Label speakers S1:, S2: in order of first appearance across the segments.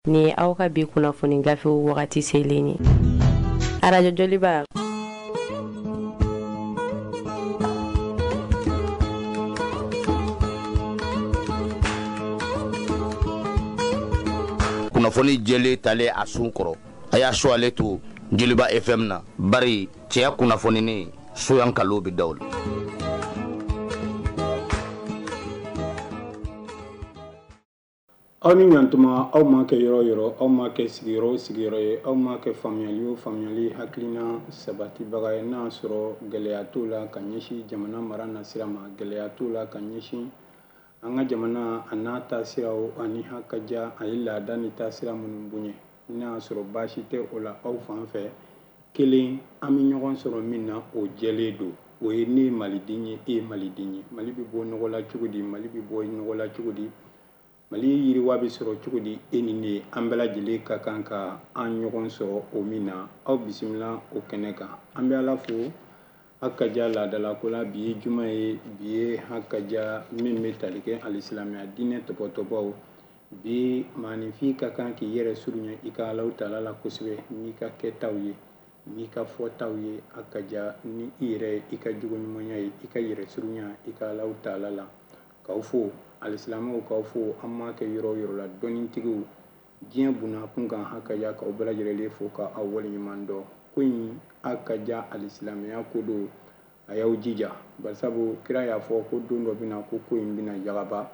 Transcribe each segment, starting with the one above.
S1: Nin ye aw ka bi kunnafoni gafew wagati selen ye. Arajo Joliba.
S2: Kunnafoni jɛlen talen a sun kɔrɔ, a y'a su ale to Joliba FM na, bari cɛya kunnafoninen soyan kalo bɛ da o la.
S3: Aw ni ɲantuma, aw ma kɛ yɔrɔ yɔrɔ, aw ma kɛ sigiyɔrɔ o sigiyɔrɔ ye, aw ma kɛ faamuyali o faamuyali hakilina sabatibaga ye, n'a sɔrɔ gɛlɛya t'o la ka ɲɛsin jamana mara nasira ma, gɛlɛya t'o la ka ɲɛsin an ka jamana a n'a taasiraw ani hakaja a ye laada ni taasira minnu bonya, n'a sɔrɔ baasi tɛ o la aw fan fɛ. Kelen, an bɛ ɲɔgɔn sɔrɔ min na o jɛlen don, o ye ne ye maliden ye, e ye maliden ye. Mali bɛ bɔ nɔgɔ la cogo di? Mali bɛ bɔ nɔgɔ la cogo di? Mali yiriwa bɛ sɔrɔ cogo di? E ni ne, an bɛɛ lajɛlen ka kan ka an ɲɔgɔn sɔrɔ o min na. Aw bisimila o kɛnɛ kan. An bɛ Ala fo hakaja laadalako la. Bi ye juma ye, bi ye hakaja min bɛ tali kɛ alisilamɛya diinɛ tɔpɔtɔbaw. Bi maaninfin ka kan k'i yɛrɛ surunya i ka Alahu taala la kosɛbɛ n'i ka kɛtaw ye, n'i ka fɔtaw ye, hakaja ni i yɛrɛ ye, i ka jogo ɲumanya ye, i ka yɛrɛ surunya i ka Alahu taala la. K'aw fo alisilamɛw, k'aw fo an m'a kɛ yɔrɔ o yɔrɔ la, dɔnnitigiw diɲɛ bunna kun kan, hakaja k'aw bɛɛ lajɛlen fo ka aw waleɲuman dɔn. Ko in hakaja alisilamɛya ko don, a y'aw jija, barisabu kira y'a fɔ ko don dɔ bɛna ko ko in bɛna yagaba,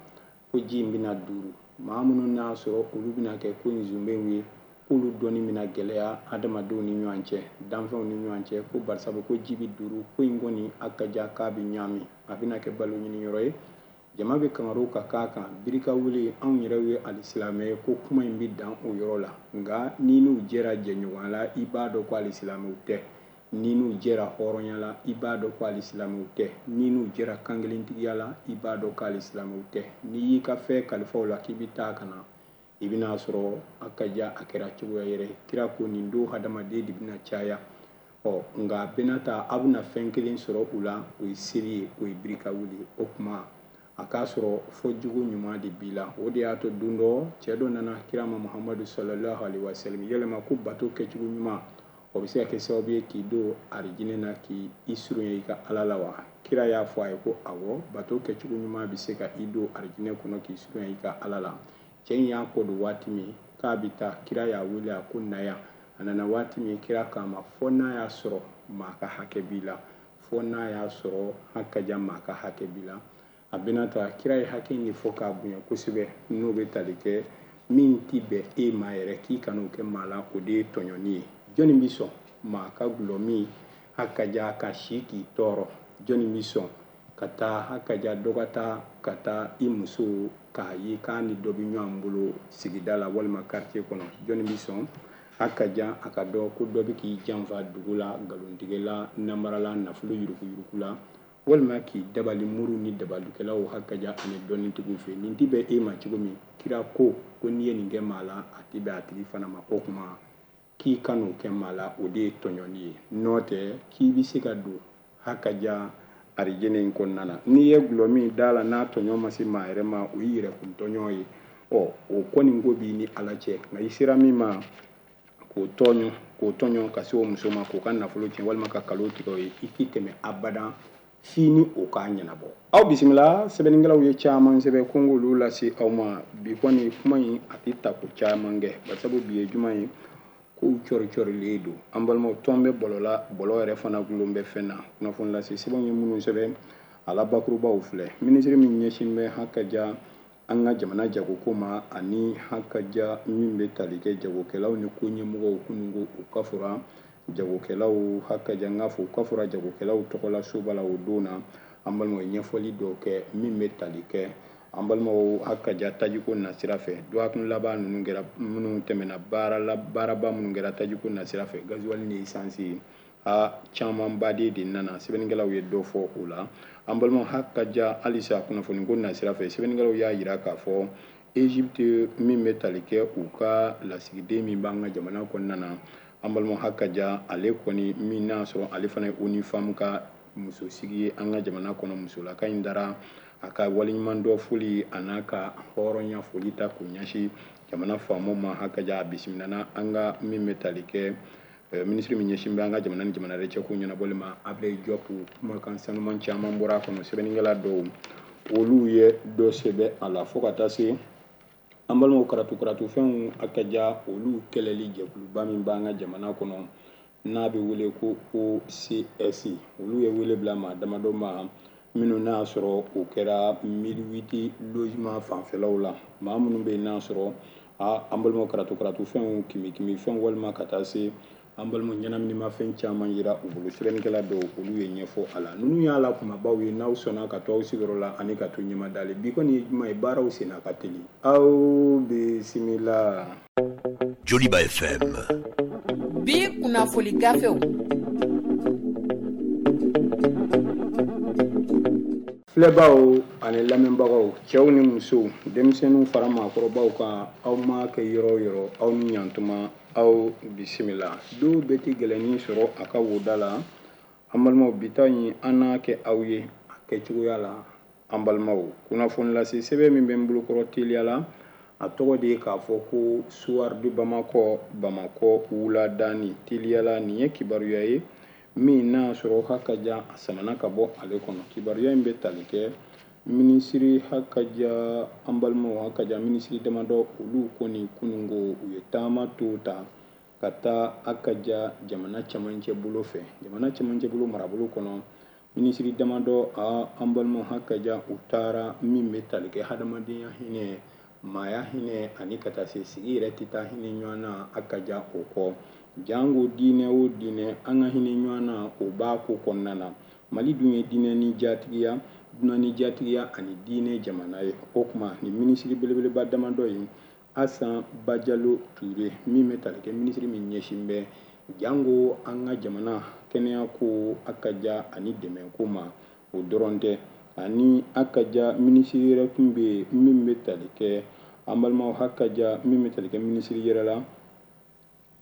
S3: ko ji in bɛna duuru. Maa minnu n'a sɔrɔ olu bɛna kɛ ko in zunbenw ye, k'olu dɔnni bɛna gɛlɛya adamadenw ni ɲɔgɔn cɛ, danfɛnw ni ɲɔgɔn cɛ, ko barisabu ko ji bɛ duuru, ko in kɔni hakaja k'a bɛ ɲaami, a bɛna kɛ balo ɲini yɔrɔ ye. Jama bɛ kangariw ka k'a kan, birika wuli, anw yɛrɛ ye alisilamɛ ye, ko kuma in bɛ dan o yɔrɔ la. Nka n'i n'u jɛra jɛɲɔgɔnya la, i b'a dɔn ko alisilamɛw tɛ. N'i n'u jɛra hɔrɔnya la, i b'a dɔn ko alisilamɛw tɛ. N'i n'u jɛra kankelentigiya la, i b'a dɔn ko alisilamɛw tɛ. N'i y'i ka fɛn kalifa u la k'i bɛ taa ka na, i bɛna sɔrɔ a ka ja a kɛra cogoya yɛrɛ. Kira ko nin don hadamaden de bɛna caya. Nka a bɛna taa, aw bɛna fɛn kelen sɔrɔ u la, o ye seli ye, o ye birika wuli ye. O tuma a k'a sɔrɔ fɔ jugu ɲuman de b'i la. O de y'a to don dɔ cɛ dɔ nana kira ma Muhamadu sallallahu alaihi wasallam, yɛlɛma ko bato kɛcogo ɲuman o bɛ se ka kɛ sababu ye k'i don arijinɛ na, k'i surunya i ka Ala la wa? Kira y'a fɔ a ye ko awɔ, bato kɛcogo ɲuman bɛ se ka i don arijinɛ kɔnɔ k'i surunya i ka Ala la. Cɛ in y'a kɔ don waati min k'a bɛ taa, kira y'a wele a ko na yan. A nana waati min, kira k'a ma fɔ n'a y'a sɔrɔ maa ka hakɛ b'i la, fɔ n'a y'a sɔrɔ hakaja maa ka hakɛ b'i la. A bɛna taa, kira ye hakɛ in de fɔ k'a bonya kosɛbɛ, n'o bɛ tali kɛ min ti bɛn e ma yɛrɛ k'i kan'o kɛ maa la, o de ye tɔɲɔni ye. Jɔnni bɛ sɔn maa ka gulɔ min hakaja ka si k'i tɔɔrɔ? Jɔnni bɛ sɔn ka taa hakaja dɔ ka taa ka taa i muso k'a ye k'a ni dɔ bɛ ɲɔgɔn bolo sigida la walima quartier kɔnɔ? Jɔnni bɛ sɔn hakaja a ka dɔn ko dɔ bɛ k'i janfa dugu la, nkalontigɛla, namarala, nafolo yuruguyurugu la, walima k'i dabali muru ni dabalikɛlaw hakaja ani dɔnnitigiw fɛ? Nin ti bɛn e ma cogo min, kira ko ko n'i ye nin kɛ maa la, a ti bɛn a tigi fana ma. O tuma k'i kan'o kɛ maa la, o de ye tɔɲɔni ye. N'o tɛ k'i bɛ se ka don hakaja arijinɛ in kɔnɔna na. N'i ye gulɔ min da la n'a tɔɲɔ ma se maa yɛrɛ ma, o y'i yɛrɛkun tɔɲɔ ye. O kɔni ko b'i ni Ala cɛ. Nka i sera min ma k'o tɔɲɔ, k'o tɔɲɔ ka se o muso ma, k'o ka nafolo tiɲɛ walima ka kalo tigɛ o ye, i t'i tɛmɛ abadan f'i ni o k'a ɲɛnabɔ. Aw bisimila, sɛbɛnnikɛlaw ye caman sɛbɛn ko n k'olu lase aw ma. Bi kɔni kuma in a tɛ ta ko caman kɛ, barisabu bi ye juma ye, kow cɔri cɔrilen don. An balimaw, tɔn bɛ bɔlɔ la, bɔlɔ yɛrɛ fana gulon bɛ fɛn na. Kunnafoni lase sɛbɛnw ye minnu sɛbɛn, a la bakurubaw filɛ. Minisiri min ɲɛsin bɛ hakaja an ka jamana jagoko ma ani hakaja min bɛ tali kɛ jagokɛlaw ni ko ɲɛmɔgɔw kununko u ka fura jagokɛlaw hakaja n k'a fɔ u ka fura jagokɛlaw tɔgɔla soba la o don na. An balimaw ye ɲɛfɔli dɔw kɛ min bɛ tali kɛ an balimaw hakaja tajiko nasira fɛ. Dɔgɔkun laban ninnu kɛra minnu tɛmɛna baaraba minnu kɛra tajiko nasira fɛ, gazuwali ni esansi a camanba de nana. Sɛbɛnnikɛlaw ye dɔ fɔ o la. An balimaw hakaja halisa kunnafoniko nasira fɛ, sɛbɛnnikɛlaw y'a yira k'a fɔ Egypte min bɛ tali kɛ u ka lasigiden min b'an ka jamana kɔnɔna na, an balimaw hakaja ale kɔni min n'a sɔrɔ ale fana ye ONU Femmes ka musosigi ye an ka jamana kɔnɔ, musolaka in dara a ka waleɲuman dɔ foli a n'a ka hɔrɔnya foli ta k'o ɲɛsin Jamana faamaw ma, hakaja, a bisimilana an ka min bɛ tali kɛ minisiri min ɲɛsin bɛ an ka jamana ni jamana wɛrɛ cɛ ko ɲɛnabɔli ma, Ablaye Diop. Kumakan sanuman caman bɔra a kɔnɔ. Sɛbɛnnikɛla dɔw, olu ye dɔ sɛbɛn a la, fo ka taa se an balimaw karatu karatufɛnw, hakaja, olu kɛlɛli jɛkuluba min b'an ka jamana kɔnɔ n'a bɛ wele ko OCS, olu ye wele bila maa damadɔ ma minnu n'a y'a sɔrɔ o kɛra 1008 logement fanfɛlaw la. Maa minnu bɛ yen n'a sɔrɔ an balimaw karatu karatufɛnw, kimi fɛnw, walima ka taa se an balimaw ɲɛnaminimafɛn caman yira u bolo. Sɛbɛnnikɛla dɔw, olu ye ɲɛfɔ a la. Ninnu y'a la kumabaw ye. N'aw sɔnna ka to aw sigiyɔrɔ la ani ka to ɲɛmadalen, bi kɔni ye juma ye, baaraw senna ka teli. Aw bisimila.
S4: Joliba FM.
S5: Bi kunnafoli gafew.
S3: Filɛbaw ani lamɛnbagaw, cɛw ni musow, denmisɛnninw fara maakɔrɔbaw kan, aw ma kɛ yɔrɔ o yɔrɔ, aw ni ɲantuma, aw bisimila. Dɔw bɛ ti gɛlɛnnin sɔrɔ a ka woda la. An balimaw, bi ta in, an n'a kɛ aw ye a kɛcogoya la. An balimaw, kunnafoni lase sɛbɛn min bɛ n bolokɔrɔ teliya la, a tɔgɔ de ye k'a fɔ ko Soir de Bamako, Bamakɔ wuladani. Teliya la, nin ye kibaruya ye min n'a sɔrɔ hakaja a samana ka bɔ ale kɔnɔ. Kibaruya in bɛ tali kɛ minisiri, hakaja, an balimaw, hakaja, minisiri damadɔ, olu kɔni kunungo u ye taama to ta ka taa, hakaja, jamana camancɛ bolo fɛ, jamana camancɛ bolo marabolo kɔnɔ. Minisiri damadɔ, a an balimaw, hakaja, u taara min bɛ tali kɛ hadamadenya hinɛ, maaya hinɛ, ani ka taa se sigi yɛrɛ tɛ taa hinɛ ɲɔgɔn na, hakaja, o kɔ. Jango diinɛ o diinɛ, an ka hinɛ ɲɔgɔn na, o b'a ko kɔnɔna na. Mali dun ye diinɛ ni jatigiya, dunan ni jatigiya ani diinɛ jamana ye. O tuma nin minisiri belebeleba damadɔ ye, Asan Bajalo Ture min bɛ tali kɛ minisiri min ɲɛsin bɛ jango an ka jamana kɛnɛya ko, hakaja, ani dɛmɛ ko ma, o dɔrɔn tɛ, ani hakaja minisiri yɛrɛ tun bɛ yen min bɛ tali kɛ, an balimaw, hakaja, min bɛ tali kɛ minisiri yɛrɛ la.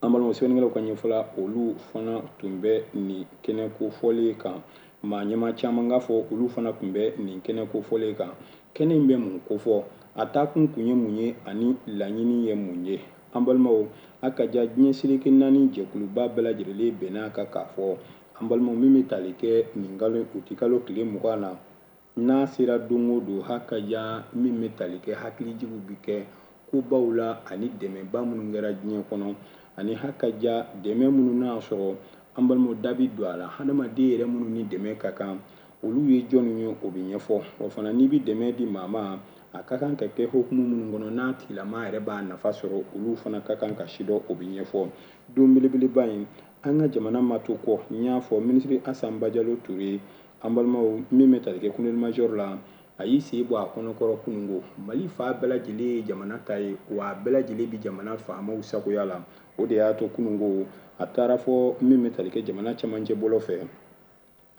S3: An balimaw, sɛbɛnnikɛlaw ka ɲɛfɔla, olu fana tun bɛ nin kɛnɛ kofɔlen kan. Maa ɲɛmaa caman k'a fɔ olu fana tun bɛ nin kɛnɛ kofɔlen kan. Kɛnɛ in bɛ mun kofɔ? A taakun kun ye mun ye ani laɲini ye mun ye? An balimaw, hakaja, diɲɛ seleke naani jɛkuluba bɛɛ lajɛlen bɛn'a kan k'a fɔ, an balimaw, min bɛ tali kɛ nin kalo uti kalo tile 20 na, n'a sera don o don, hakaja, min bɛ tali kɛ hakilijigiw bɛ kɛ kobaw la ani dɛmɛba minnu kɛra diɲɛ kɔnɔ, ani hakaja dɛmɛ minnu n'a sɔrɔ, an balimaw, da bɛ don a la, hadamaden yɛrɛ minnu ni dɛmɛ ka kan, olu ye jɔnni ye, o bɛ ɲɛfɔ. O fana, n'i bɛ dɛmɛ di maa ma, a ka kan ka kɛ hukumu minnu kɔnɔ n'a tigilama yɛrɛ b'a nafa sɔrɔ, olu fana ka kan ka sidɔn, o bɛ ɲɛfɔ. Don belebeleba in, an ka jamana ma to kɔ. N y'a fɔ, minisiri Asan Bajalo Ture, an balimaw, min bɛ tali kɛ colonel major la, a y'i sen bɔ a kɔnɔkɔrɔ kunungo. Mali fa bɛɛ lajɛlen ye jamana ta ye, wa a bɛɛ lajɛlen bɛ jamana faamaw sagoya la. O de y'a to kunungo a taara fɔ min bɛ tali kɛ jamana camancɛ bolo fɛ,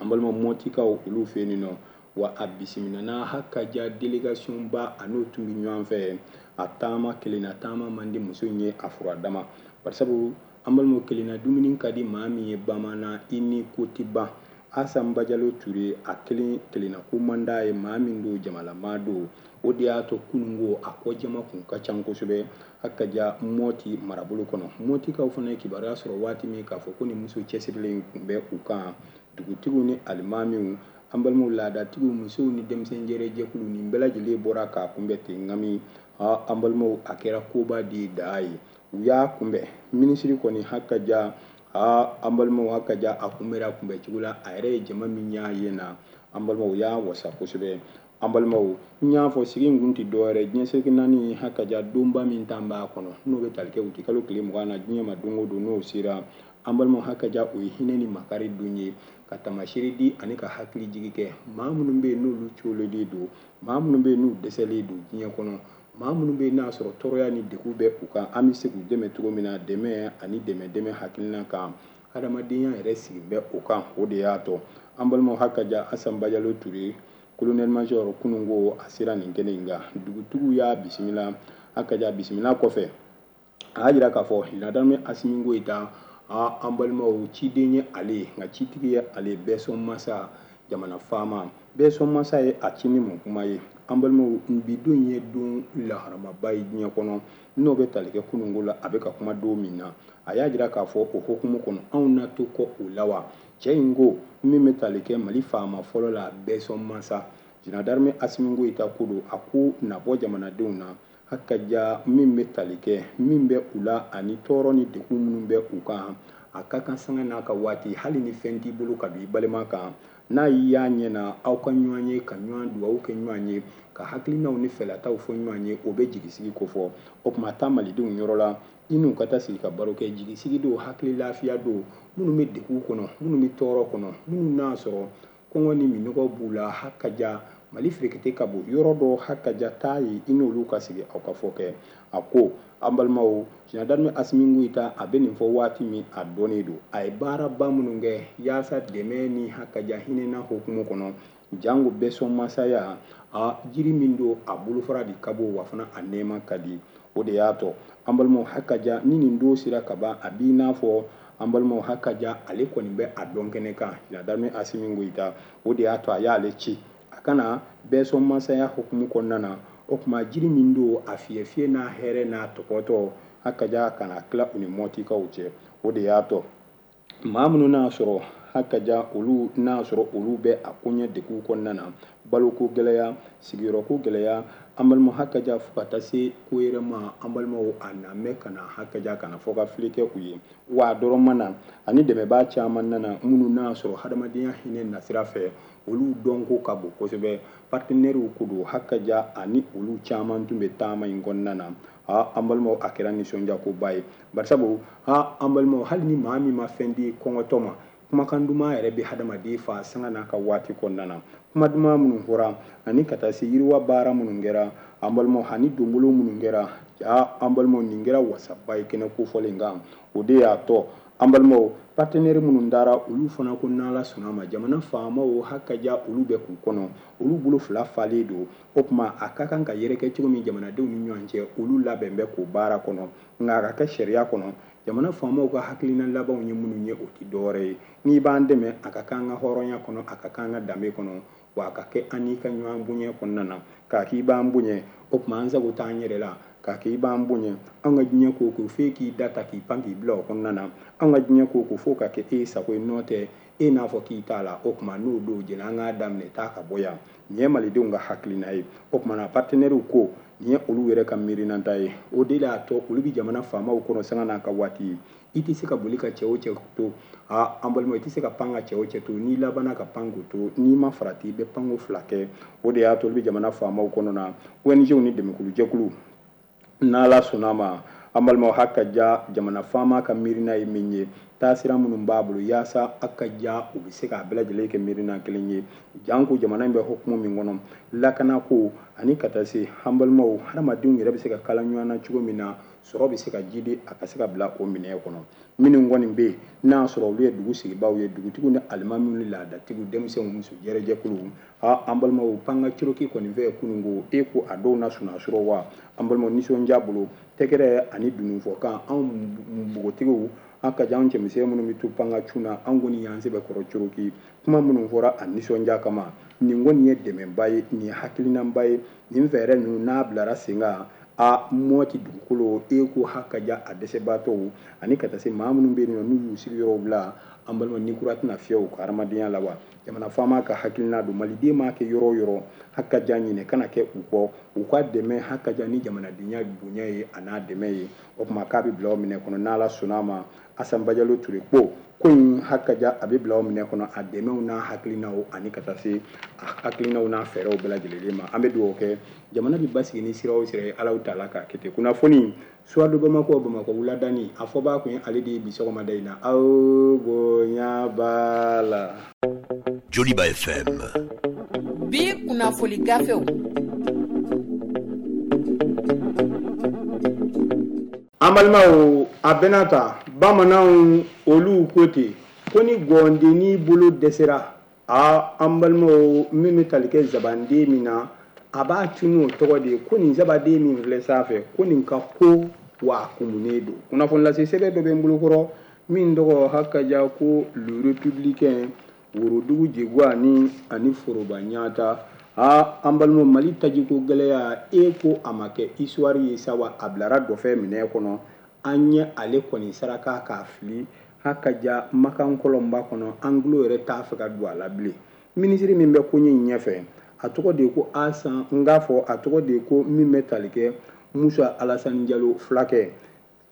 S3: an balima mɔtikaw, olu fɛ yen nɔ. Wa a bisimilana, hakaja, délégation ba a n'o tun bɛ ɲɔgɔn fɛ. A taama kelenna taama man di muso in ye a fura dama, barisabu, an balimaw, kelenna dumuni ka di maa min ye bamanan, i ni ko tɛ ban. Asan Bajalo Ture, a kelen kelenna ko man d'a ye. Maa min don, jamalama don. O de y'a to kunungo a kɔ jama kun ka ca kosɛbɛ, hakaja, Mɔti marabolo kɔnɔ. Mɔtikaw fana ye kibaruya sɔrɔ waati min k'a fɔ ko ni muso cɛsirilen tun bɛ u kan, dugutigiw ni alimamiw, an balimaw, laadatigiw, musow ni denmisɛn jɛrɛjɛkulu, nin bɛɛ lajɛlen bɔra k'a kunbɛn ten. Ŋami, an balimaw, a kɛra koba de ye daa ye. U y'a kunbɛn, minisiri kɔni, hakaja, an balimaw, hakaja, a kunbɛra kunbɛn cogo la, a yɛrɛ ye jama min y'a ye na, an balimaw, y'a wasa kosɛbɛ. An balimaw, n y'a fɔ, sigi in kun tɛ dɔwɛrɛ, diɲɛ seleke naani, hakaja, donba min tan b'a kɔnɔ, n'o bɛ tali kɛ uti kalo tile 20 na, diɲɛ ma don o don n'o sera, an balimaw, hakaja, o ye hinɛ ni makari don ye, ka taamasere di ani ka hakili jigi kɛ maa minnu bɛ yen n'olu coololen don, maa minnu bɛ yen n'u dɛsɛlen don diɲɛ kɔnɔ, maa minnu bɛ yen n'a sɔrɔ tɔɔrɔya ni degun bɛ u kan, an bɛ se k'u dɛmɛ cogo min na, dɛmɛ ani dɛmɛ dɛmɛ hakilina kan, hadamadenya yɛrɛ sigi bɛ o kan. O de y'a to, an balimaw, hakaja, Asan Bajalo Ture, colonel major, kunungo a sera nin kɛnɛ in kan. Dugutigiw y'a bisimila. Hakaja, bisimila kɔfɛ, a y'a jira k'a fɔ ladame Asimi Goyita, an balimaw, ciden ye ale ye, nka citigi ye ale. Bɛɛ sɔn masa, jamana faama bɛɛ sɔn masa ye a ci ni mun kuma ye? An balimaw, bi don ye don laharamaba ye diɲɛ kɔnɔ, n'o bɛ tali kɛ kununko la. A bɛ ka kuma don min na, a y'a jira k'a fɔ o hukumu kɔnɔ, anw na to kɔ o la wa. Cɛ in ko min bɛ tali kɛ Mali faama fɔlɔ la, bɛsɔn masa Général d'armée Assimi Goïta ko don. A ko nabɔ jamanadenw na hakaja min bɛ tali kɛ min bɛ u la ani tɔɔrɔ ni degun minnu bɛ u kan, a ka kan sanga n'a ka waati, hali ni fɛn t'i bolo ka don i balima kan, n'a y'i y'a ɲɛ na, aw ka ɲɔgɔn ye, ka ɲɔgɔn dugawu kɛ ɲɔgɔn ye, ka hakilinaw ni fɛlataw fɔ ɲɔgɔn ye, o bɛ jigisigi kofɔ. O tuma taa malidenw yɔrɔ la, i n'u ka taa sigi ka baro kɛ. Jigisigi don, hakili lafiya don. Minnu bɛ degun kɔnɔ, minnu bɛ tɔɔrɔ kɔnɔ, minnu n'a sɔrɔ kɔngɔ ni minɔgɔ b'u la, hakaja Mali ferekete ka bon yɔrɔ dɔ, hakaja taa ye, i n'olu ka sigi, aw ka fɔ kɛ. A ko an balimaw, Général d'armée Assimi Goïta a bɛ nin fɔ waati min, a dɔnnen don a ye baaraba minnu kɛ yaasa dɛmɛ ni hakaja hinɛna hukumu kɔnɔ, jango bɛsɔn masaya a jiri min don, a bolofara de ka bon, wa fana a nɛɛma ka di. O de y'a tɔ an balimaw, hakaja ni nin don sera ka ban, a b'i n'a fɔ an balimaw, hakaja ale kɔni bɛ a dɔn kɛnɛ kan, Général d'armée Assimi Goïta. O de y'a to a y'ale ci a kana bɛsɔn masaya hukumu kɔnɔna na. O tuma jiri min don, a fiyɛ fiyɛ n'a hɛrɛ n'a tɔpɔtɔ, hakaja kana tila u ni mɔtikaw cɛ. O de y'a tɔ maa minnu n'a sɔrɔ hakaja olu n'a sɔrɔ olu bɛ a koɲɛ degun kɔnɔna na, baloko gɛlɛya, sigiyɔrɔko gɛlɛya, an balimaw, hakaja fo ka taa se ko yɛrɛ ma. An balimaw, a na mɛn ka na hakaja kana fɔ ka fili kɛ u ye wa a dɔrɔn ma na, ani dɛmɛbaa caman nana minnu n'a sɔrɔ hadamadenya hinɛ nasira fɛ, olu dɔnko ka bon kosɛbɛ. Partenaires ko don, hakaja ani olu caman tun bɛ taama in kɔnɔna na. An balimaw, a kɛra nisɔndiyakoba ye, barisabu an balimaw, hali ni maa min ma fɛn di kɔngɔtɔ ma, kumakan duman yɛrɛ bɛ hadamaden fa sanga n'a ka waati kɔnɔna na. Kuma duman minnu fɔra ani ka taa se yiriwa baara minnu kɛra, an balimaw, ani donbolo minnu kɛra, ja an balimaw, nin kɛra wasaba ye kɛnɛ kofɔlen kan. O de y'a tɔ an balimaw, partenaire minnu dara, olu fana ko n'Ala sɔnna ma, jamana faamaw hakaja olu bɛ k'u kɔnɔ, olu bolo fila falen don. O tuma a ka kan ka yɛrɛkɛ cogo min jamanadenw ni ɲɔgɔn cɛ, olu labɛn bɛ k'o baara kɔnɔ, nka a ka kɛ sariya kɔnɔ. Jamana faamaw ka hakilina labanw ye minnu ye, o tɛ dɔwɛrɛ ye: n'i b'an dɛmɛ, a ka k'an ka hɔrɔnya kɔnɔ, a ka k'an ka danbe kɔnɔ, wa a ka kɛ an n'i ka ɲɔgɔn bonya kɔnɔna na. K'a k'i b'an bonya, o tuma an sago t'an yɛrɛ la. K'a k'i b'an bonya, an ka diɲɛ ko ko f'e k'i da ta k'i pan k'i bila o kɔnɔna na. An ka diɲɛ ko ko fo ka kɛ e sago ye, n'o tɛ e n'a fɔ k'i t'a la. O tuma n'o don jɛnɛ, an k'a daminɛ taa ka bɔ yan. Nin ye malidenw ka hakilina ye. O tuma na partenaires ko nin ye olu yɛrɛ ka miirinanta ye. O de y'a to olu bɛ jamana faamaw kɔnɔ sanga n'a ka waati ye. I tɛ se ka boli ka cɛ o cɛ to, aa an balimaw, i tɛ se ka pan ka cɛ o cɛ to. N'i labanna ka pan k'o to, n'i ma farati, i bɛ panko fila kɛ. O de y'a to olu bɛ jamana faamaw kɔnɔ na, ONG ni dɛmɛkulujɛkulu. N'Ala sɔnna ma, an balimaw, hakaja jamana faama ka miirina ye min ye, taasira minnu b'a bolo yaasa a ka ja u bɛ se k'a bɛɛ lajɛlen kɛ miirina kelen ye, janko jamana in bɛ hukumu min kɔnɔ, lakanako ani ka taa se an balimaw, hadamadenw yɛrɛ bɛ se ka kala ɲɔgɔn na cogo min na, sɔrɔ bɛ se ka jidi a ka se ka bila o minɛ kɔnɔ. Minnu kɔni bɛ yen n'a sɔrɔ olu ye dugu sigibaaw ye, dugutigiw ni alimamiw ni laadatigiw, denmisɛnw, muso jɛrɛjɛkuluw, an balimaw, panga Coroki kɔni fɛ kununko e ko a dɔw na sunaa sɔrɔ wa. An balimaw, nisɔndiya bolo, tɛgɛrɛ ani dununfɔkan, anw npogotigiw, an ka jan cɛmisɛn minnu bɛ to panga cun na, an kɔni y'an sɛbɛkɔrɔ Coroki. Kuma minnu fɔra a nisɔndiya kama, nin kɔni ye dɛmɛba ye, nin ye hakilinaba ye. Nin fɛɛrɛ ninnu n'a bilara sen kan, a Mɔti dugukolo e ko hakaja a dɛsɛbaatɔw ani ka taa se maa minnu bɛ yen nɔ n'u y'u sigiyɔrɔw bila, an balima, ni kura tɛna fiyɛ u ka hadamadenya la wa. Jamana faama ka hakilina don, maliden m'a kɛ yɔrɔ o yɔrɔ, hakaja ɲinɛ kana kɛ u kɔ, u ka dɛmɛ hakaja ni jamanadenya bonya ye a n'a dɛmɛ ye. O tuma k'a bɛ bila o minɛ kɔnɔ n'Ala sɔnna a ma. Asan Bajalo Ture ko ko in hakaja a bɛ bila o minɛ kɔnɔ, a dɛmɛw n'a hakilinaw ani ka taa se a hakilinaw n'a fɛɛrɛw bɛɛ lajɛlen ma. An bɛ dugawu kɛ, jamana bɛ basigi ni sira o sira ye, Alahu taala k'a kɛ ten. Kunnafoni Soir de Bamako, Bamakɔ wuladani, a fɔbaa kun ye ale de ye bi sɔgɔmada in na. Aw bonya b'a la.
S4: Joliba FM.
S5: Bi kunnafoni gafew.
S3: An balimaw, a bɛna ta bamananw olu ko ten ko ni gɔndennin bolo dɛsɛra, a an balimaw, min bɛ tali kɛ zabanden min na, a b'a tunu o tɔgɔ de ye ko nin zabaden min filɛ sanfɛ, ko nin ka ko wa a kumunen don. Kunnafoni lase sɛbɛn dɔ bɛ n bolokɔrɔ min tɔgɔ hakaja ko Le Républicain, worodugu jegwani ani foroba ɲata. Aa, an balimaw, Mali tajiko gɛlɛya, e ko a ma kɛ histoire ye sa wa, a bilara dɔfɛ minɛ kɔnɔ. An ye ale kɔni saraka k'a fili hakaja makan kɔlɔnba kɔnɔ, an tulo yɛrɛ t'a fɛ ka don a la bilen. Minisiri min bɛ koɲɛ in ɲɛfɛ, a tɔgɔ de ye ko Asan, n k'a fɔ a tɔgɔ de ye ko min bɛ tali kɛ Musa Alasani Jalo fulakɛ,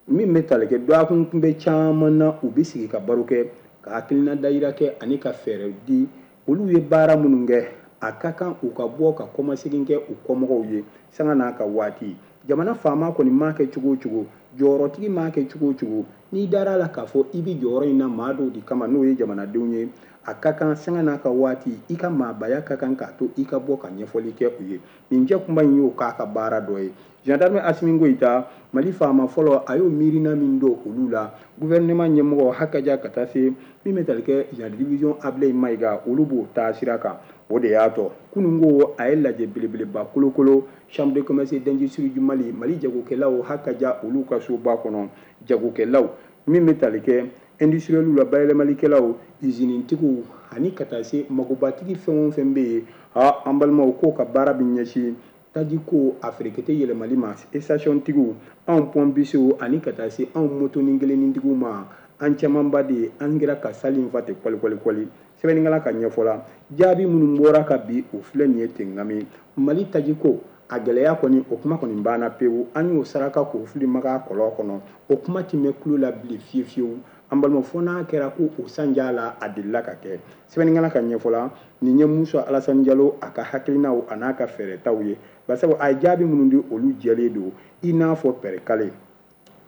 S3: min bɛ tali kɛ dɔgɔkun kunbɛn caman na, u bɛ sigi ka baro kɛ, ka hakilina dayira kɛ ani ka fɛɛrɛ di. Olu ye baara minnu kɛ, a ka kan u ka bɔ ka kɔmasegin kɛ u kɔmɔgɔw ye sanga n'a ka waati. Jamana faama kɔni m'a kɛ cogo o cogo, jɔyɔrɔtigi m'a kɛ cogo o cogo, n'i dara a la k'a fɔ i bɛ jɔyɔrɔ in na maa dɔw de kama, n'o ye jamanadenw ye, a ka kan sanga n'a ka waati, i ka maabaya ka kan k'a to i ka bɔ ka ɲɛfɔli kɛ u ye. Nin jɛkunba in y'o k'a ka baara dɔ ye. Gendarme Asimi Goïta, Mali faama fɔlɔ, a y'o miirina min don olu la, gouvernement ɲɛmɔgɔ hakaja ka taa se min bɛ tali kɛ général division Ablaye Mayiga, olu b'o taa sira kan. O de y'a tɔ kunun ko a ye lajɛ belebeleba kolokolo chambre de commerce et d'industrie du Mali, Mali jagokɛlaw hakaja olu ka soba kɔnɔ. Jagokɛlaw min bɛ tali kɛ industriel la, bayɛlɛmalikɛlaw, usinitigiw ani ka taa se magobatigi fɛn o fɛn bɛ yen, a an balimaw, k'o ka baara bɛ ɲɛsin tajiko a ferekete yɛlɛmali ma, station tigiw, anw pɔnpisiw ani ka taa se anw motonin kelennintigiw ma. An camanba de ye an kɛra ka sali in fa ten kɔli kɔli kɔli. Sɛbɛnnikɛla ka ɲɛfɔ la, jaabi minnu bɔra ka bi, o filɛ nin ye ten. Ngami Mali tajiko a gɛlɛya kɔni, o kuma kɔni banna pewu. An y'o saraka k'o fili maga kɔlɔn kɔnɔ, o kuma ti mɛn tulo la bilen fiyewu fiyewu. An balimaw, fo n'a kɛra ko o sanja la a delila ka kɛ. Sɛbɛnnikɛla ka ɲɛfɔ la, nin ye Musa Alasani Jalo a ka hakilinaw a n'a ka fɛɛrɛtaw ye, basabu a ye jaabi minnu di, olu jɛlen don i n'a fɔ pɛrɛkale.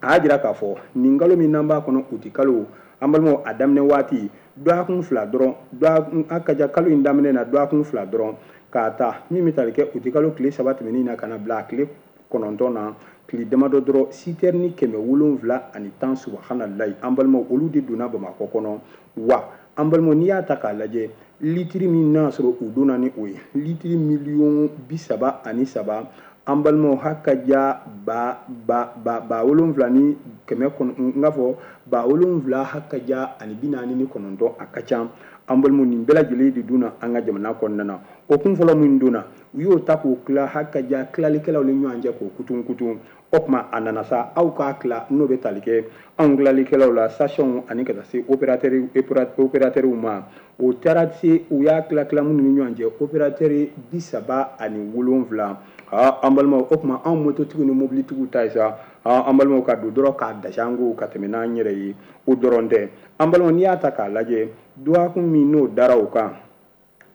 S3: A y'a jira k'a fɔ nin kalo min n'an b'a kɔnɔ, uti kalo, an balimaw, a daminɛ waati dɔgɔkun 2 dɔrɔn, dɔgɔkun a ka ca kalo in daminɛ na dɔgɔkun 2 dɔrɔn, k'a ta min bɛ tali kɛ uti kalo tile 3 tɛmɛnen na ka na bila a tile 9 na, tile damadɔ dɔrɔn, sitɛrini 710, subahanallahi, an balimaw, olu de donna Bamakɔ kɔnɔ. Wa an balimaw, n'i y'a ta k'a lajɛ, litiri min n'a sɔrɔ u donna ni o ye litiri miliyɔn 33, an balimaw, hakaja ba ba ba ba wolonfila ni kɛmɛ kɔnɔ, n k'a fɔ ba wolonfila hakaja ani bi naani ni kɔnɔntɔn, a ka ca. An balimaw, nin bɛɛ lajɛlen de donna an ka jamana kɔnɔna na. O kun fɔlɔ min donna, u y'o ta k'o tila hakaja tilalikɛlaw ni ɲɔgɔn cɛ k'o kutun kutun. O tuma a nana sa, aw k'a tila, n'o bɛ tali kɛ anw tilalikɛlaw la, station ani ka taa se opérateur ma. O taara se u y'a tila tila minnu ni ɲɔgɔn cɛ, opérateur 37. Aa, an balimaw, o tuma anw mototigiw ni mobilitigiw ta ye sa, aa, an balimaw, ka don dɔrɔn k'a dasi an ko ka tɛmɛ n'an yɛrɛ ye. O dɔrɔn tɛ, an balimaw, n'i y'a ta k'a lajɛ, dɔgɔkun min n'o dara o kan,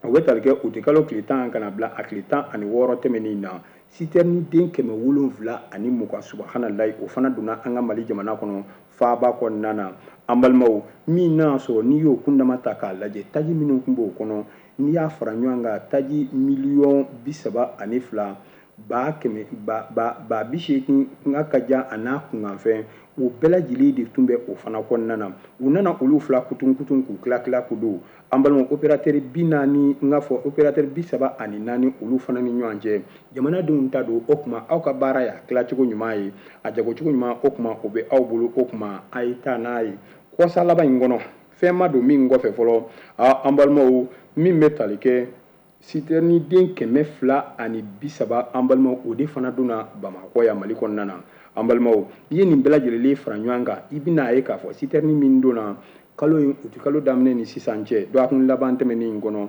S3: o bɛ tali kɛ uti kalo tile 10 ka na bila a tile 16 tɛmɛnen na, sitɛrini den 720, subahanallahi, o fana donna an ka Mali jamana kɔnɔ faaba kɔnɔna na. An balimaw, min n'a sɔrɔ n'i y'o kundama ta k'a lajɛ, taji minnu tun b'o kɔnɔ, n'i y'a fara ɲɔgɔn kan, taji miliyɔn 32 ba kɛmɛ ba ba ba bi seegin n ka ja a n'a kunkanfɛn, o bɛɛ lajɛlen de tun bɛ o fana kɔnɔna na. U nana olu fila kutun kutun k'u tila tila k'u don. An balimaw, opérateur 40, n k'a fɔ opérateur 34, olu fana ni ɲɔgɔn cɛ, jamanadenw ta don. O tuma aw ka baara y'a tilacogo ɲuman ye, a jagocogo ɲuman, o tuma o bɛ aw bolo. O tuma a ye taa n'a ye kɔsa laban in kɔnɔ, fɛn ma don min kɔfɛ fɔlɔ. An balimaw, min bɛ tali kɛ sitɛrini den 230, an balimaw, o de fana donna Bamakɔ yan Mali kɔnɔna na. An balimaw, n'i ye nin bɛɛ lajɛlen fara ɲɔgɔn kan, i bɛna ye k'a fɔ sitɛrini min donna kalo in uti kalo daminɛ ni sisan cɛ, dɔgɔkun laban tɛmɛnen in kɔnɔ,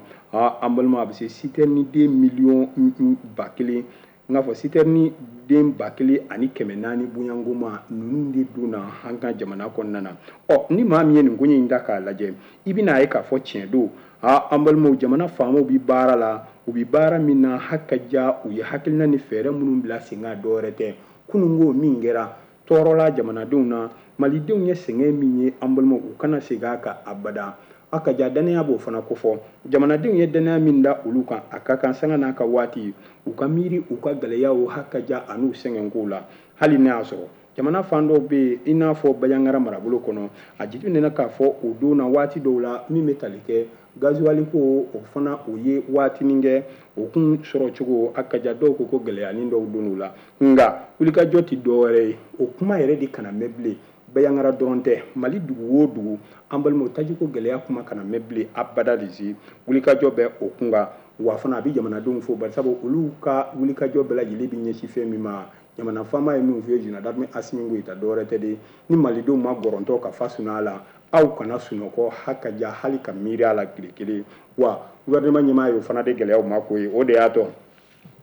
S3: an balimaw, a bɛ se sitɛrini den miliyɔn 1000, n k'a fɔ sitɛrini den 1400 bonyangoma, ninnu de donna an ka jamana kɔnɔna na. Ɔ, ni maa min ye nin koɲɛ in ta k'a lajɛ, i bɛna ye k'a fɔ tiɲɛ don. An balimaw, jamana faamaw bɛ baara la, u bɛ baara min na hakaja, u ye hakilina ni fɛɛrɛ minnu bila sen kan, dɔwɛrɛ tɛ. Kununko min kɛra tɔɔrɔla jamanadenw na, malidenw ye sɛgɛn min ye, an balimaw, u kana segin a kan abada. A ka ja danaya b'o fana kofɔ. Jamanadenw ye danaya min da olu kan, a ka kan sanga n'a ka waati u ka miiri u ka gɛlɛyaw hakaja an'u sɛgɛnkow la. Hali n'a y'a sɔrɔ jamana fan dɔw bɛ yen, i n'a fɔ Bandiagara marabolo kɔnɔ, a jateminɛna k'a fɔ o don na waati dɔw la, min bɛ tali kɛ gazuwali ko, o fana o ye waatinin kɛ o kun sɔrɔ cogo, a ka ja dɔw ko ko gɛlɛyanin dɔw donn'u la. Nka wulikajɔ tɛ dɔwɛrɛ ye, o kuma yɛrɛ de kana mɛn bilen. Bandiagara dɔrɔn tɛ, Mali dugu o dugu, an balimaw, tajiko gɛlɛya kuma kana mɛn bilen abada de si. Wulikajɔ bɛ o kun kan. Wa fana a bɛ jamanadenw fo, barisabu olu ka wulikajɔ bɛɛ lajɛlen bɛ ɲɛsin fɛn min ma. Jamana faama ye min f'u ye, général d'armée Assimi Goïta, dɔwɛrɛ tɛ de, ni malidenw ma gɔrɔntɔ ka fa sunɔgɔ la, aw kana sunɔgɔ hakaja hali ka miiri a la tile kelen. Wa gouvernement ɲɛmaa y'o fana de gɛlɛyaw ma ko ye. O de y'a to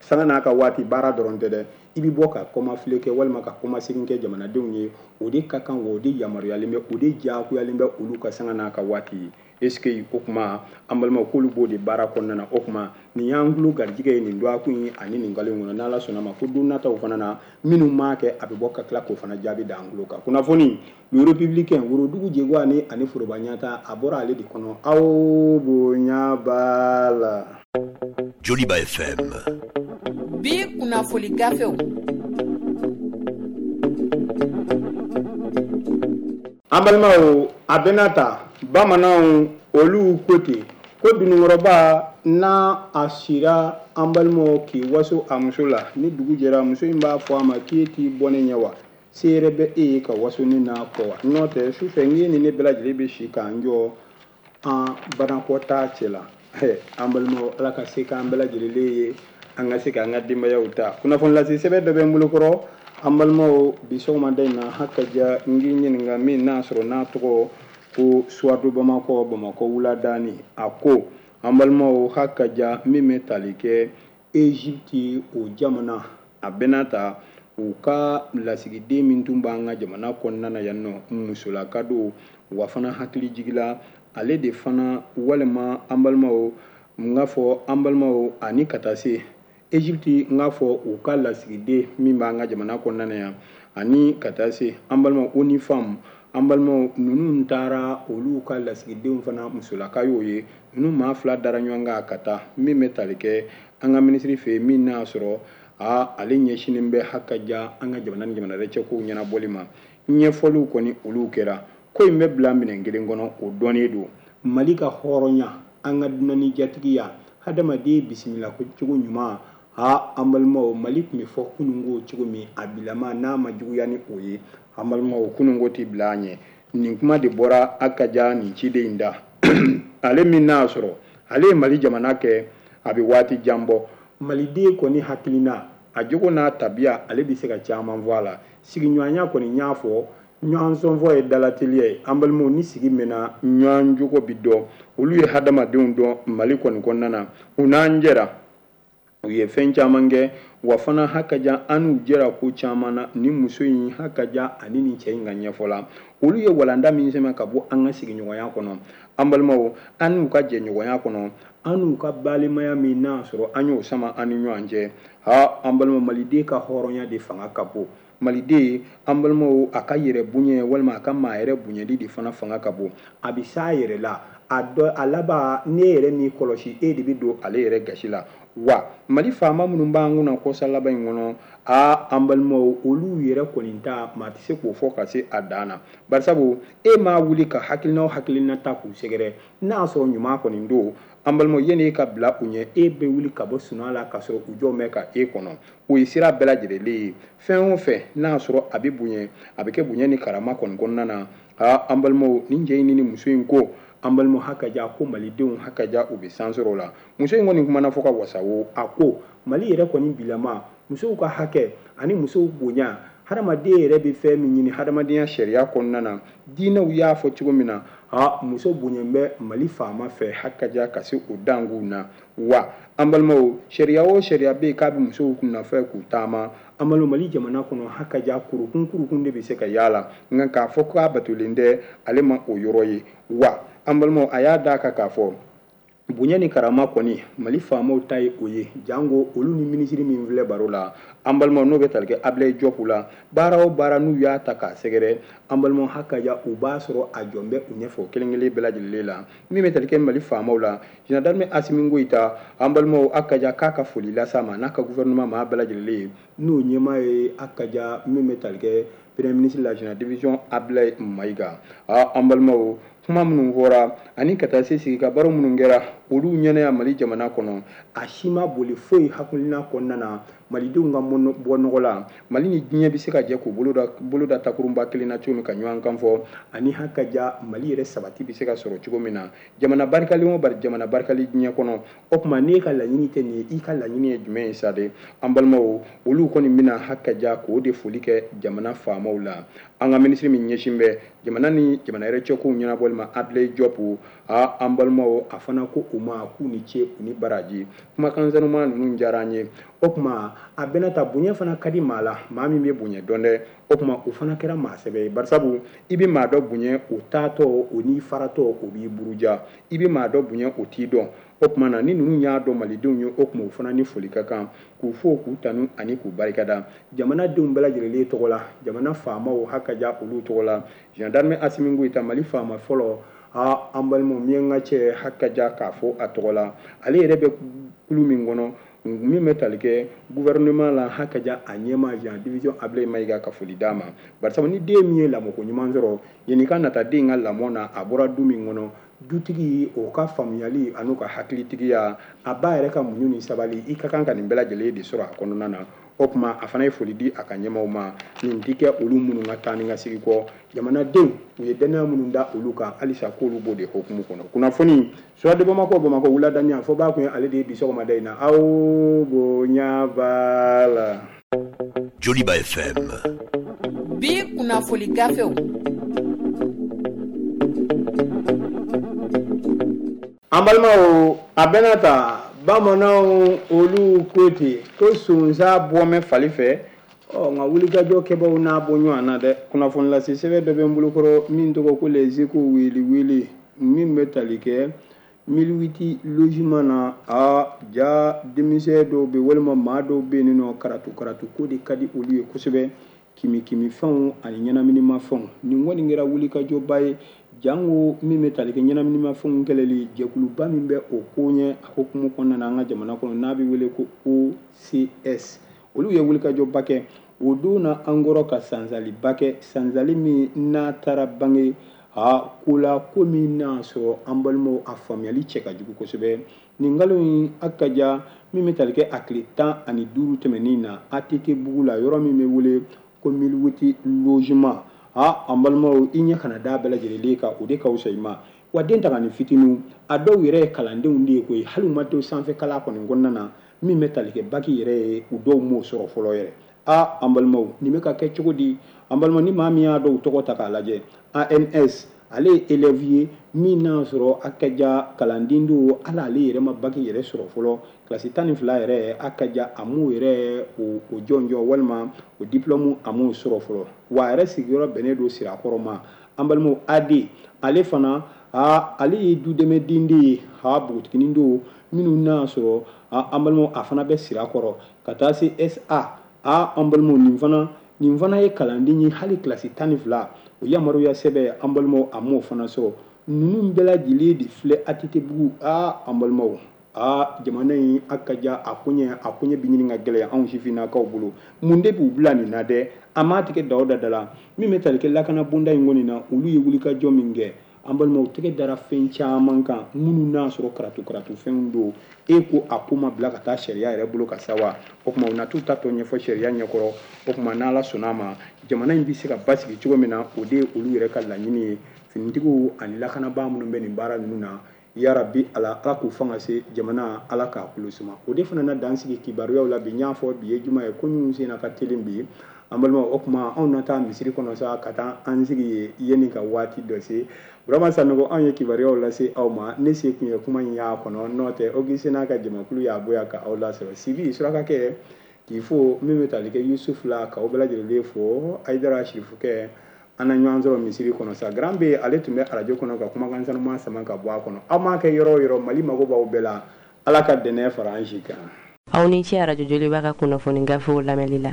S3: sanga n'a ka waati baara dɔrɔn tɛ dɛ, i bɛ bɔ ka kɔmafile kɛ walima ka kɔmasegin kɛ jamanadenw ye, o de ka kan, wa o de yamaruyalen bɛ, o de diyagoyalen bɛ olu ka sanga n'a ka waati ye. Est-ce que o kuma an balimaw k'olu b'o de baara kɔnɔna na? O kuma nin y'an tulo garijɛgɛ ye nin dɔgɔkun ye ani nin kalo in kɔnɔ. N'Ala sɔnna ma, ko don nataw fana na minnu m'a kɛ, a bɛ bɔ ka tila k'o fana jaabi da an tulo kan. Kunnafoni Le Républicain, worodugu jɛgwa ni ani foroba ɲata, a bɔra ale de kɔnɔ. Aw bonya b'a la.
S4: Joliba FM.
S5: Bi kunnafoni gafew.
S3: An balimaw, a bɛna ta bamananw olu ko ten ko dununkɔrɔba n'a a sira an balimaw k'i waso a muso la, ni dugu jɛra muso in b'a fɔ a ma k'e t'i bɔ ne ɲɛ wa, se yɛrɛ bɛ e ye ka waso ne n'a kɔ wa, n'o tɛ sufɛ n k'e ni ne bɛɛ lajɛlen bɛ si k'an jɔ an banakɔtaa cɛ la. An balimaw, Ala ka se k'an bɛɛ lajɛlen ye, an ka se k'an ka denbayaw ta. Kunnafoni lase sɛbɛn dɔ bɛ n bolo kɔrɔ an balimaw bi sɔgɔmada in na, hakaja n k'i ɲininka min n'a sɔrɔ n'a tɔgɔ ko Suwadu Bamakɔ, Bamakɔ wuladani. A ko an balimaw, hakaja min bɛ tali kɛ Egypte o jamana, a bɛna ta u ka lasigiden min tun b'an ka jamana kɔnɔna na yan nɔ, musolaka don, wa fana hakili jigila ale de fana, walima an balimaw n k'a fɔ an balimaw ani ka taa se Egypte, n k'a fɔ u ka lasigiden min b'an ka jamana kɔnɔna na yan, ani ka taa se an balimaw ONU Femmes, an balimaw ninnu taara olu ka lasigidenw fana musolaka y'o ye. Ninnu maa fila dara ɲɔgɔn kan ka taa min bɛ tali kɛ an ka minisiri fɛ yen, min n'a sɔrɔ ale ɲɛsinnen bɛ hakaja an ka jamana ni jamana wɛrɛ cɛ kow ɲɛnabɔli ma. Ɲɛfɔliw kɔni olu kɛra. Ko in bɛ bila minɛn kelen kɔnɔ, o dɔnnen don. Mali ka hɔrɔnya, an ka dunanni jatigiya, hadamaden bisimila cogo ɲuman, an balimaw, Mali tun bɛ fɔ kununko cogo min, a bilama n'a ma juguya ni o ye, an balimaw, kununko tɛ bila an ɲɛ. Nin kuma de bɔra hakaja nin ciden in da. Ale min n'a sɔrɔ ale ye Mali jamana kɛ, a bɛ waati jan bɔ. Maliden kɔni hakilina, a jogo n'a tabiya, ale bɛ se ka caman fɔ a la. Sigiɲɔgɔnya kɔni n y'a fɔ, ɲɔgɔn sɔnfɔ ye dalateliya ye. An balimaw, ni sigi mɛnna, ɲɔgɔn jogo bi dɔn. Olu ye hadamadenw dɔn Mali kɔni kɔnɔna na. U n'an jɛra, u ye fɛn caman kɛ, wa fana hakaja an n'u jɛra ko caman na. Ni muso in hakaja ani nin cɛ in ka ɲɛfɔ la, olu ye walanda min sɛmɛ ka bɔ an ka sigiɲɔgɔnya kɔnɔ, an balimaw, an n'u ka jɛɲɔgɔnya kɔnɔ, an n'u ka balimaya min n'a sɔrɔ an y'o sama an ni ɲɔgɔn cɛ. An balimaw, maliden ka hɔrɔnya de fanga ka bon. Maliden, an balimaw, a ka yɛrɛ bonya walima a ka maa yɛrɛ bonyali de fana fanga ka bon. A bɛ s'a yɛrɛ la, a dɔ a laban n'e yɛrɛ m'i kɔlɔsi, e de bɛ don ale yɛrɛ gasi la. Wa Mali faama minnu b'an kunna kɔsa laban in kɔnɔ, an balimaw, olu yɛrɛ kɔni ta maa tɛ se k'o fɔ ka se a dan na. Barisabu e m'a wuli ka hakilina o hakilina ta k'u sɛgɛrɛ, n'a y'a sɔrɔ ɲuman kɔni don, an balimaw, yanni e ka bila u ɲɛ, e bɛ wuli ka bɔ sunɔgɔ la ka sɔrɔ u jɔ bɛ ka e kɔnɔ. O ye sira bɛɛ lajɛlen ye. Fɛn o fɛn n'a y'a sɔrɔ a bɛ bonya, a bɛ kɛ bonya ni karama kɔni kɔnɔna na. An balimaw, nin cɛ in ni muso in ko, an balimaw, hakaja ko malidenw hakaja u bɛ san sɔrɔ o la. Muso in kɔni kumana fɔ ka wasa o, a ko Mali yɛrɛ kɔni bilama musow ka hakɛ ani musow bonya, hadamaden yɛrɛ bɛ fɛn min ɲini hadamadenya sariya kɔnɔna na, diinɛw y'a fɔ cogo min na, muso bonya bɛ Mali faama fɛ hakaja ka se o danguw na. Wa an balimaw, sariya o sariya bɛ yen k'a bɛ musow nɔfɛ k'u taama, an balimaw, Mali jamana kɔnɔ hakaja kurukun kurukun de bɛ se ka yaala, nka k'a fɔ k'a batolen tɛ, ale ma o yɔrɔ ye. Wa an balimaw, a y'a d'a kan k'a fɔ bonya ni karama kɔni Mali faamaw ta ye o ye, jango olu ni minisiri min filɛ baro la, an balimaw, n'o bɛ tali kɛ Ablaye Diop la, baara o baara n'u y'a ta k'a sɛgɛrɛ, an balimaw, hakaja u b'a sɔrɔ a jɔn bɛ u ɲɛfɛ o kelen kelen bɛɛ lajɛlen la. Min bɛ tali kɛ Mali faamaw la, général d'armée Assimi Goïta, an balimaw, hakaja k'a ka foli las'a ma n'a ka gouvernement maa bɛɛ lajɛlen ye, n'o ɲɛmaa ye hakaja min bɛ tali kɛ premier ministre la général division Ablaye Maïga. An balimaw, kuma minnu fɔra ani ka taa se sigi ka baro minnu kɛra, olu ɲɛna yan Mali jamana kɔnɔ, a si ma boli foyi hakilina kɔnɔna na malidenw ka bɔ nɔgɔ la. Mali ni diɲɛ bɛ se ka jɛ k'u bolo da takurunba kelen na cogo min ka ɲɔgɔn kan fɔ, ani haka ja Mali yɛrɛ sabati bɛ se ka sɔrɔ cogo min na. Jamana barikalen o jamana barikalen diɲɛ kɔnɔ, o tuma n'e ka laɲini tɛ nin ye, i ka laɲini ye jumɛn ye sa de? An balimaw, olu kɔni bɛna haka ja k'o de foli kɛ jamana faamaw la. An ka minisiri min ɲɛsin bɛ jamana ni jamana yɛrɛ cɛkow ɲɛnabɔli ma, Abdoulaye Diop, an balimaw, a fana ko u ma k'u ni ce u ni baraji. Kumakan sanuman ninnu diyara an ye. O tuma a bɛna ta bonya fana ka di maa la, maa min bɛ bonya dɔn dɛ. O tuma o fana kɛra maa sɛbɛ ye, barisabu i bɛ maa dɔ bonya o taatɔ, o n'i faratɔ, o b'i buruja. I bɛ maa dɔ bonya o t'i dɔn. O tuma na ni ninnu y'a dɔn malidenw ye, o tuma o fana ni foli ka kan k'u fo, k'u tanu ani k'u barikada jamanadenw bɛɛ lajɛlen tɔgɔ la, jamana faamaw haka ja olu tɔgɔ la. Gendarme Assimi Goïta, Mali faama fɔlɔ, an balimaw, miyanka cɛ haka ja k'a fɔ a tɔgɔ la. Ale yɛrɛ bɛ kulu min kɔnɔ min bɛ tali kɛ gouvernement la, haka ja a ɲɛmaa Jean division Abdoulaye Maïga ka foli d'a ma. Barisabu ni den min ye lamɔko ɲuman sɔrɔ, yanni ka nata den ka lamɔ na, a bɔra du min kɔnɔ, dutigi o ka faamuyali an'u ka hakilitigiya, a ba yɛrɛ ka muɲu ni sabali, i ka kan ka nin bɛɛ lajɛlen de sɔrɔ a kɔnɔna na. O tuma a fana ye foli di a ka ɲɛmaaw ma. Nin ti kɛ olu minnu ka taa ni ka segin kɔ, jamanadenw u ye dannaya minnu da olu kan, halisa k'olu b'o de hukumu kɔnɔ. Kunnafoni Soir de Bamako, Bamakɔ wuladani fɔ b'a kun ye ale de ye bi sɔgɔmada in na. Aw bonya b'a la.
S4: Joliba FM.
S5: Bi kunnafoni gafew.
S3: An balimaw, a bɛna ta bamananw olu ko ten ko sonsan bɔmɛ fali fɛ. Ɔ nka wulikajɔ kɛbaw n'a bɔ ɲɔgɔn na dɛ. Kunnafoni lase sɛbɛn dɔ bɛ n bolokɔrɔ min tɔgɔ ko Les Échos wele wele, min bɛ tali kɛ 1008 logement na. A ja denmisɛn dɔw bɛ walima maa dɔw bɛ yen nɔ, karatu karatu ko de ka di olu ye kosɛbɛ, kimi kimi fɛnw ani ɲɛnaminimafɛnw. Nin kɔni kɛra wulikajɔba ye, jango min bɛ tali kɛ ɲɛnaminimafɛnw kɛlɛli jɛkuluba min bɛ o ko ɲɛ a hukumu kɔnɔna na an ka jamana kɔnɔ, n'a bɛ wele ko OCS, olu ye wulikajɔba kɛ. O don na an kɔrɔ ka sansaliba kɛ, sansali min n'a taara bange a ko la, ko min n'a sɔrɔ an balimaw a faamuyali cɛ ka jugu kosɛbɛ. Nin kalo in a ka ja min bɛ tali kɛ a tile 15 tɛmɛnen na, ATT bugu la, yɔrɔ min bɛ wele ko 1008 logement. An balimaw, i ɲɛ kana da bɛɛ lajɛlen kan, o de ka fisa i ma. Wa den ta ka nin fitininw, a dɔw yɛrɛ ye kalandenw de ye koyi, hali u ma to sanfɛ kalan kɔni kɔnɔna na, min bɛ tali kɛ baki yɛrɛ ye, u dɔw m'o sɔrɔ fɔlɔ yɛrɛ. An balimaw, nin bɛ ka kɛ cogo di? An balimaw, ni maa min y'a dɔw tɔgɔ ta k'a lajɛ, ANS ale ye élève ye min n'a sɔrɔ a ka ja kalanden don, hali ale yɛrɛ ma baki yɛrɛ sɔrɔ fɔlɔ, kilasi 12 yɛrɛ a ka ja a m'o yɛrɛ o jɔnjɔn walima o diplôme a m'o sɔrɔ fɔlɔ. Wa a yɛrɛ sigiyɔrɔ bɛnnen don Sirakɔrɔ ma. An balimaw, AD ale fana, ale ye dudɛmɛden de ye, npogotiginin don minnu n'a sɔrɔ an balimaw a fana bɛ Sirakɔrɔ. Ka taa se SA, an balimaw, nin fana ye kalanden ye, hali kilasi 12 o yamaruya sɛbɛn an balimaw a m'o fana sɔrɔ. Ninnu bɛɛ lajɛlen de filɛ ATT bugu. An balimaw, jamana in a ka ja a koɲɛ bɛ ɲini ka gɛlɛya anw sifinnakaw bolo. Mun de b'u bila nin na dɛ? A m'a tigɛ da o da la. Min bɛ tali kɛ lakana bonda in kɔni na, olu ye wulikajɔ min kɛ, an balimaw, tɛgɛ dara fɛn caman kan minnu n'a sɔrɔ karatu karatu fɛnw don. E ko a ko ma bila ka taa sariya yɛrɛ bolo ka sa wa? O tuma u na t'u ta tɔ ɲɛfɔ sariya ɲɛkɔrɔ. O tuma n'Ala sɔnna a ma, jamana in bɛ se ka basigi cogo min na, o de ye olu yɛrɛ ka laɲini ye. Finitigiw ani lakanabaa minnu bɛ nin baara ninnu na, yarabi Ala, Ala k'u fanga se jamana, Ala k'a kulo suma. O de fana na dan sigi kibaruyaw la bi. N y'a fɔ bi ye juma ye, ko minnu sen ka teli bi. An balimaw, o tuma anw na taa misiri kɔnɔ sa ka taa an sigi yen yanni ka waati dɔ se. Burama Sanogo, anw ye kibaruyaw lase aw ma. Ne se kun ye kuma in y'a kɔnɔ, n'o tɛ Augustin n'a ka jamakulu y'a bɔ yan ka aw lasɔrɔ. Sibi surakakɛ k'i fo, min bɛ tali kɛ Yusuf la, k'aw bɛɛ lajɛlen fo. Ayidara Sirifukɛ, an na ɲɔgɔn sɔrɔ misiri kɔnɔ sa. Grand B ale tun bɛ arajo kɔnɔ ka kumakan sanuman sama ka bɔ a kɔnɔ. Aw m'a kɛ yɔrɔ o yɔrɔ, Mali mago b'aw bɛɛ la. Ala ka dɛnɛ fara an si kan.
S1: Aw ni ce arajo Joliba ka kunnafoni gafew lamɛnli la.